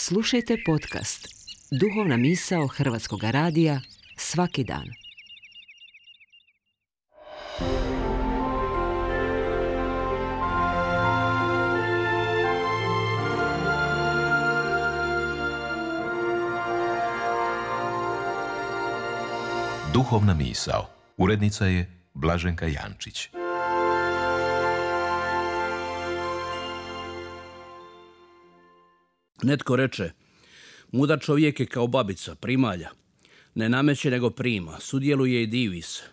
Slušajte podcast Duhovna misao Hrvatskog radija svaki dan. Duhovna misao. Urednica je Blaženka Jančić. Netko reče, mudar čovjek je kao babica, primalja. Ne nameće nego prima, sudjeluje i divi se.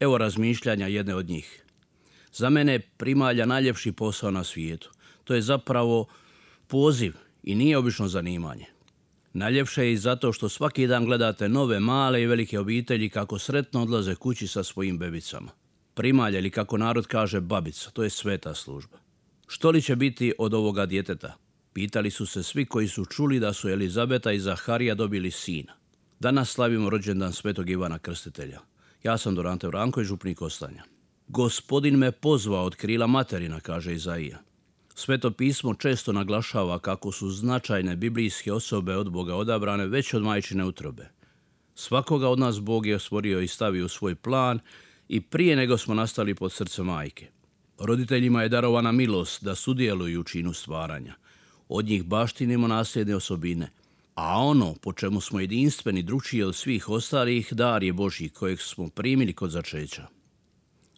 Evo razmišljanja jedne od njih. Za mene je primalja najljepši posao na svijetu. To je zapravo poziv i nije obično zanimanje. Najljepše je i zato što svaki dan gledate nove, male i velike obitelji kako sretno odlaze kući sa svojim bebicama. Primalja, ili kako narod kaže babica, to je sveta služba. Što li će biti od ovoga djeteta? Pitali su se svi koji su čuli da su Elizabeta i Zaharija dobili sina. Danas slavimo rođendan svetog Ivana Krstitelja. Ja sam Dorante Vranko i župnik Ostanja. Gospodin me pozvao od krila materina, kaže Izaija. Sveto pismo često naglašava kako su značajne biblijske osobe od Boga odabrane već od majčine utrobe. Svakoga od nas Bog je stvorio i stavio u svoj plan i prije nego smo nastali pod srce majke. Roditeljima je darovana milost da sudjeluju u činu stvaranja. Od njih baštinimo nasljedne osobine, a ono po čemu smo jedinstveni drukčiji od svih ostalih dar je Božji kojeg smo primili kod začeća.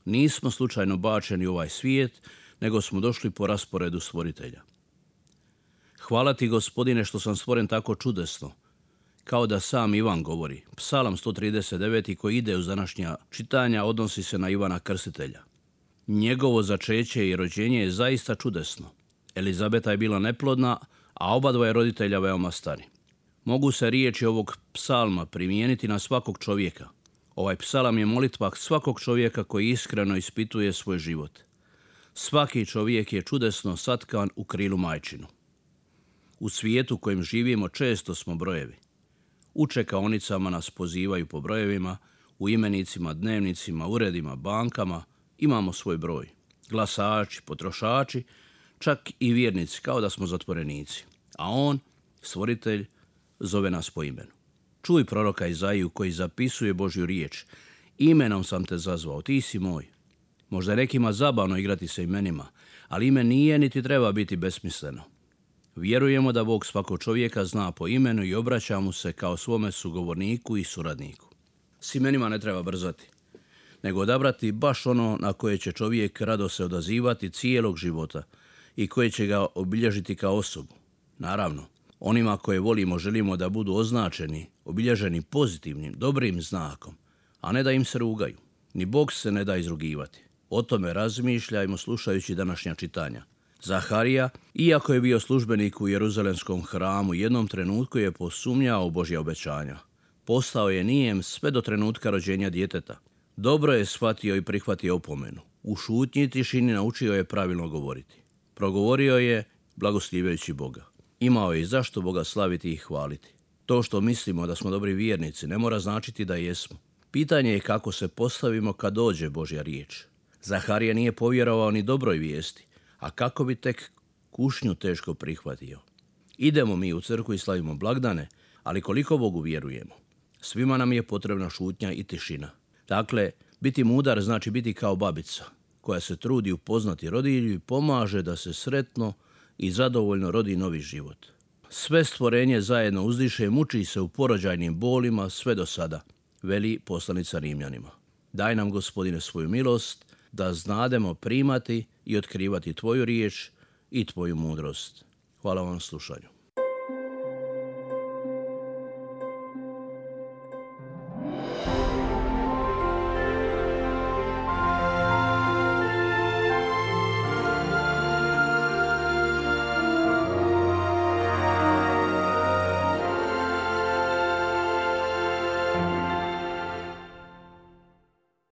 Nismo slučajno bačeni u ovaj svijet, nego smo došli po rasporedu stvoritelja. Hvala ti, Gospodine, što sam stvoren tako čudesno, kao da sam Ivan govori. Psalam 139. koji ide uz današnja čitanja odnosi se na Ivana Krstitelja. Njegovo začeće i rođenje je zaista čudesno. Elizabeta je bila neplodna, a obadvoje roditelja veoma stari. Mogu se riječi ovog psalma primijeniti na svakog čovjeka. Ovaj psalam je molitva svakog čovjeka koji iskreno ispituje svoj život. Svaki čovjek je čudesno satkan u krilu majčinu. U svijetu kojem živimo često smo brojevi. U čekaonicama nas pozivaju po brojevima, u imenicima, dnevnicima, uredima, bankama imamo svoj broj. Glasači, potrošači, čak i vjernici, kao da smo zatvorenici. A on, stvoritelj, zove nas po imenu. Čuj proroka Izaiju koji zapisuje Božju riječ. Imenom sam te zazvao, ti si moj. Možda je nekima zabavno igrati se imenima, ali ime nije niti treba biti besmisleno. Vjerujemo da Bog svakog čovjeka zna po imenu i obraća mu se kao svome sugovorniku i suradniku. S imenima ne treba brzati, nego odabrati baš ono na koje će čovjek rado se odazivati cijelog života i koje će ga obilježiti kao osobu. Naravno, onima koje volimo želimo da budu označeni, obilježeni pozitivnim, dobrim znakom, a ne da im se rugaju. Ni Bog se ne da izrugivati. O tome razmišljajmo slušajući današnja čitanja. Zaharija, iako je bio službenik u Jeruzalemskom hramu, jednom trenutku je posumnjao u Božja obećanja. Postao je nijem sve do trenutka rođenja djeteta. Dobro je shvatio i prihvatio opomenu. U šutnji i tišini naučio je pravilno govoriti. Progovorio je blagoslivljajući Boga. Imao je i zašto Boga slaviti i hvaliti. To što mislimo da smo dobri vjernici ne mora značiti da jesmo. Pitanje je kako se postavimo kad dođe Božja riječ. Zaharija nije povjerovao ni dobroj vijesti, a kako bi tek kušnju teško prihvatio. Idemo mi u crkvu i slavimo blagdane, ali koliko Bogu vjerujemo? Svima nam je potrebna šutnja i tišina. Dakle, biti mudar znači biti kao babica, koja se trudi upoznati rodilju i pomaže da se sretno i zadovoljno rodi novi život. Sve stvorenje zajedno uzdiše i muči se u porođajnim bolima sve do sada, veli poslanica Rimljanima. Daj nam, Gospodine, svoju milost, da znademo primati i otkrivati tvoju riječ i tvoju mudrost. Hvala vam na slušanju.